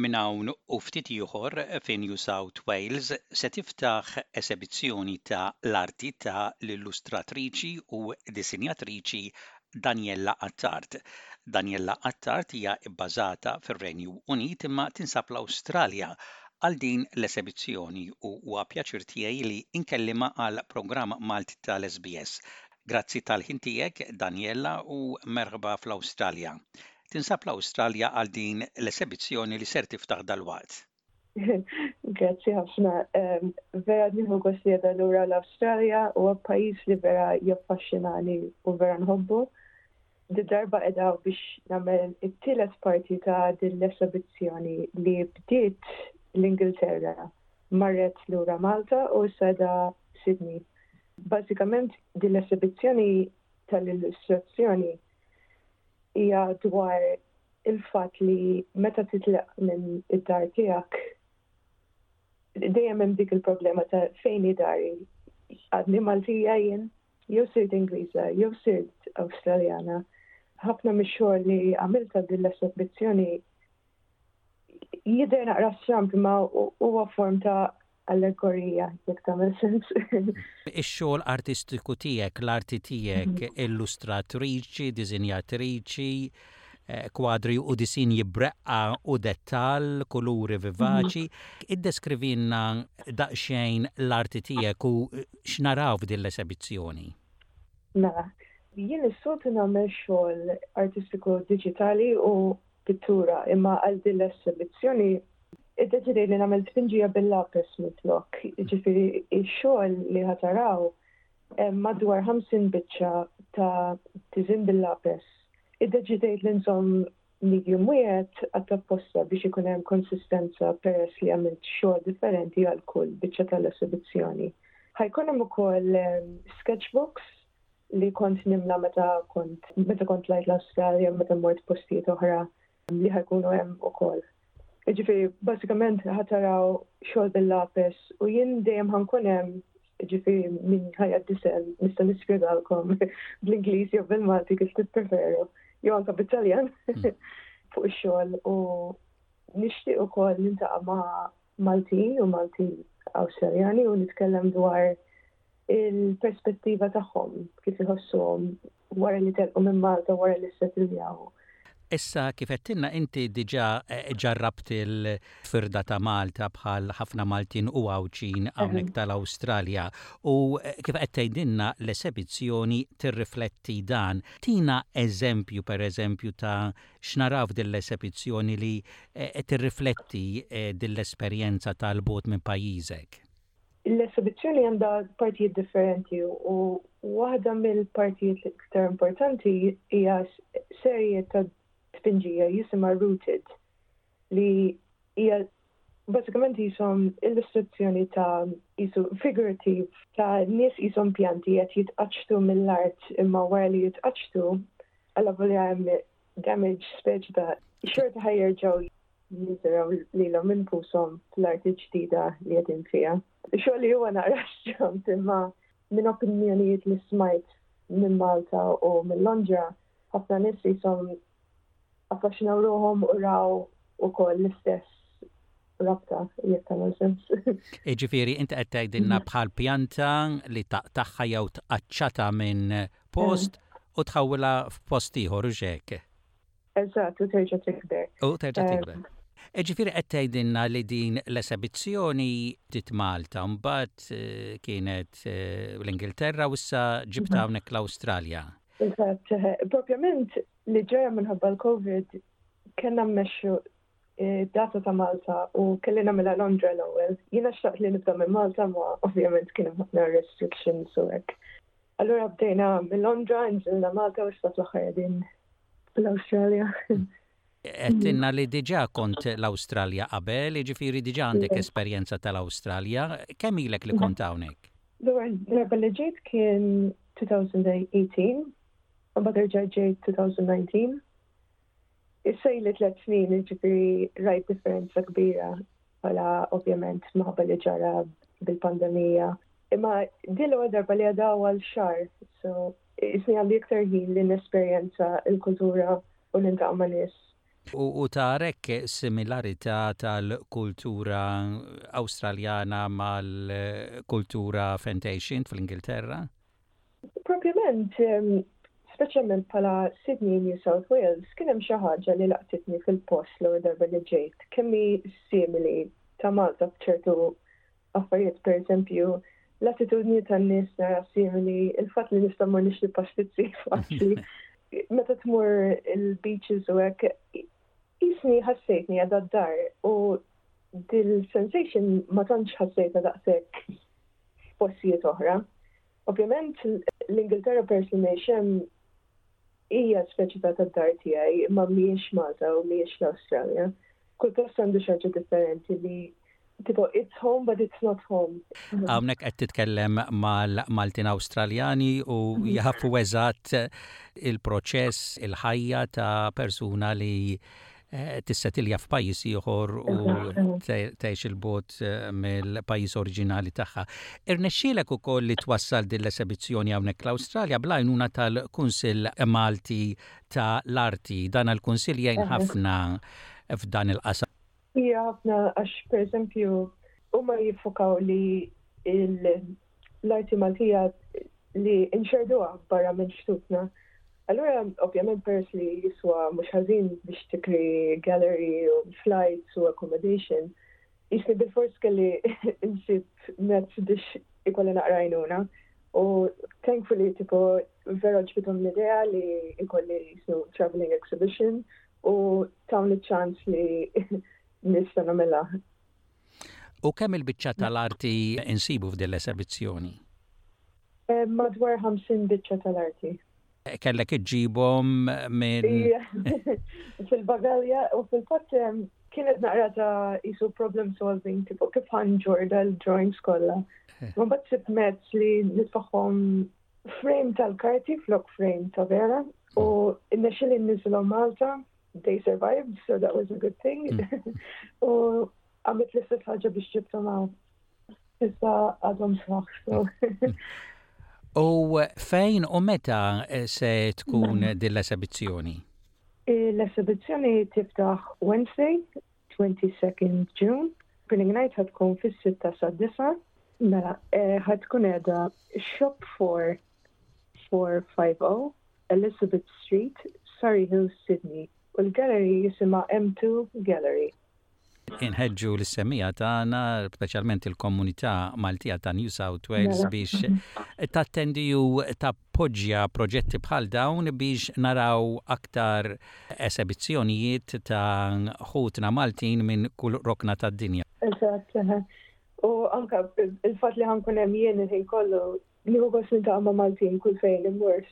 Minn hawn u ftit ieħor fi New South Wales se tiftaħ esebizzjoni ta' l-arti ta' l-illustratriċi u disinjatriċi Daniella Attard. Daniella Attard hija bbażata fir-Renju Unit imma tinsab l-Awstralja għal din l-esebizzjoni u huwa pjaċir tiegħi li nkellimha għall-programm Malti tal-SBS. Grazzi tal-ħin tiegħek Daniella u merħba fl-Awstralja. Tinsab l-Awstralja għal din l-esebizzjoni li ser tiftaħ dalwaqt. Grazzi ħafna. Vera nieħu gost li qiegħda lura l-Awstralja, huwa pajjiż li vera jaffaxxinani u vera nħobbu. Did-darba qiegħda biex nagħmel it-tielet parti ta' din l-esebizzjoni li bdiet l-Ingilterra, marret lura Malta u issa qiegħda Sydney. Bażikament din l-esebizzjoni tal-illustrazzjoni hija dwar il-fatt li meta titlaq minn id-dar tiegħek dejjem hemm dik il-problema ta' fejn hi dari. Għadni Maltija jien, jew sirt Ingliża, jew sirt Awstraljana. Ħafna mix-xogħol li għamilt għal din l-esebizzjoni jidher naqra stramb imma huwa form ta' allegorija, jekk tagħmel sens. Ix-xogħol artistiku tiegħek, l-arti tiegħek, illustratriċi, diżinjatriċi, eh, kwadri u disinji breqqa u dettall, kuluri vivaċi. Iddeskrivilna daqsxejn l-arti tiegħek u x'naraw f'din l-esebizzjoni. Mela, jien is-soltu nagħmel xogħol artistiku diġitali u pittura, imma għal din l-esebizzjoni Iddeċidejt li nagħmel tpinġija bil-lapes minflok. Jiġifieri x-xogħol li ħa taraw hemm madwar 50 biċċa ta' tiżin bil-lapes. Iddeċidejt li nżomm medium wieħed għat-apposta biex ikun hemm konsistenza peress li għamilt xogħol differenti għal kull biċċa tal-esebizzjoni. Ħa jkun hemm ukoll sketchbooks li kont nimla meta kont meta kont tlajt l-Awstralja meta mort postijiet oħra li ħa jkunu hemm ukoll. Jiġifieri bażikament ħa taraw xogħol bil-lapes u jien dejjem ħa nkun hemm, jiġifieri min ħa jgħaddi sehem nista' nispjegalkom bl-Ingliż jew bil-Malti kif tippreferu, jew anke bit-Taljan fuq ix-xogħol u nixtieq ukoll niltaqa' ma' Maltin u Maltin Awstraljani u nitkellem dwar il-perspettiva tagħhom kif iħossuhom wara li telqu minn Malta wara li ssettiljaw. Issa kif għedtilna inti diġà ġarrabt il-firda ta' Malta bħal ħafna Maltin u Għawdxin hawnhekk tal-Awstralja u kif qed tgħidilna l-esebizzjoni tirrifletti dan. Tina eżempju pereżempju ta' x'naraw f'din l-esebizzjoni li tirrifletti din l-esperjenza tal-bogħod minn pajjiżek. L-esebizzjoni għandha partijiet differenti u waħda mill-partijiet l-iktar importanti hija serje ta' tpinġija jisimha Rooted li hija bażikament qishom illustrazzjoni ta' qisu figurative ta' nies qishom pjanti qed jitqaċċtu mill-art imma wara li jitqaċċtu allavolja hemm damage speċi ta' xorta ħa jerġgħu jiżraw lilhom infushom fl-art il-ġdida li qegħdin fiha. Xogħol li huwa naqra stramb imma minn opinjonijiet li smajt minn Malta u minn Londra, ħafna nies qishom affaxxinaw ruħhom u raw ukoll l-istess rabta, jekk tagħmel sens. Jiġifieri inti qed tgħidilna bħal pjanta li taqtagħha jew tqaċċatha minn post u tħawwilha f'post ieħor, hux hekk? Eżatt, u terġa' tikber. U terġa' tikber. Ġifieri qed tgħidilna li din l-esebizzjoni bdiet Malta, mbagħad eh, kienet eh, l-Ingilterra u issa ġibta mhm. hawnhekk l-Awstralja. Eżatt, eh, propjament li ġara minħabba l-Covid kellna mmexxu data ta' Malta u kelli nagħmilha Londra l-ewwel. Jiena xtaqt li nibda minn Malta ma ovvjament kien hemm ħafna restrictions u hekk. Allura bdejna minn Londra, nżilna Malta u issa fl-aħħar qegħdin l-Awstralja. Għedtilna li diġà kont l-Awstralja qabel, jiġifieri diġà għandek esperjenza tal-Awstralja. Kemm ilek li kont hawnhekk? L-ewwel darba li ġejt kien 2018, u mbagħad erġajt ġejt 2019. Issa ili tliet snin, jiġifieri rajt differenza kbira bħala ovvjament minħabba li ġara bil-pandemija. Imma din l-ewwel darba li għadha għal xahar, so Isni għandi iktar ħin li nesperjenza l-kultura u niltaqa' ma' nies. U tara hekk similarità tal-kultura Awstraljana mal-kultura fejn tgħix int fl-Ingilterra? Propjament, speċjalment bħala Sydney, New South Wales, kien hemm xi ħaġa li laqtitni fil-post l-ewwel darba li ġejt, kemm hi simili ta' Malta f'ċertu affarijiet, pereżempju, l-attitudni tan-nies nara simili, il-fatt li nista' mmur nixtri pastizzi faċli. Meta tmur il-beaches u hekk, qisni ħassejtni għadha d-dar u dil-sensation ma tantx ħassejtha daqshekk f'postijiet oħra. Ovvjament l-Ingilterra peress li ngħix hemm hija speċi ta' tad-dar tiegħi imma mhijiex Malta u mhijiex l-Awstralja. Kull post għandu xi ħaġa differenti li tipo it's home but it's not home. Hawnhekk qed titkellem mal-Maltin Awstraljani u jafu eżatt il-proċess, il-ħajja ta' persuna li Eh, tissetilja f'pajjiż ieħor u tgħix il-bot eh, mill-pajjiż oriġinali tagħha. Irnexxielek ukoll li twassal din l-esebizzjoni hawnhekk l-Awstralja bl-għajnuna tal-Kunsill Malti ta' l-Arti. Dan il-Kunsill jgħin ħafna f'dan il-qasam. Ija ħafna għax pereżempju huma jiffokaw li l-arti Maltija li nxerduha barra minn xtutna. Allura, ovvjament peress li jiswa mhux ħażin biex tikri gallery u flights u accommodation, jisni bilfors kelli nsib mezz biex ikolli naqra għajnuna. U thankfully tipo vera għoġbithom l-idea li ikolli jisnu traveling exhibition u tawni ċans li nista' nagħmilha. U kemm il-biċċa tal-arti insibu f'din l-esebizzjoni? Eh, madwar 50 biċċa tal-arti. Kellek iġġibhom minn. Fil-bagalja u fil-fatt kienet naqra ta' isu problem solving, tipo kif ħanġor dal-drawings kollha. Eh. Ma bat sibt mezz li nitfaħħom frame tal-karti flok frame ta' vera u innexxili nniżilhom Malta, they survived, so that was a good thing. U għamilt l-istess ħaġa biex ġibthom hawn. Issa għadhom sħaħ, so. U fejn u meta se tkun din l-esebizzjoni? L-esebizzjoni tiftaħ Wednesday, 22nd June. Opening night ħa tkun fis-sitta sad-disgħa. Mela, ħa tkun qiegħda Shop 4 450 Elizabeth Street, Surry Hills, Sydney u l-gallery jisimha M2 Gallery. Inħeġġu lis-semmiegħa tagħna, speċjalment il-komunità Maltija ta' New South Wales biex tattendi u tappoġġja proġetti bħal dawn biex naraw aktar esebizzjonijiet ta' ħutna Maltin minn kull rokna tad-dinja. Eżatt, eħe. U anke il-fatt li ħa nkun hemm jien il-ħin kollu, nieħu gost niltaqa' ma' Maltin kull fejn immur.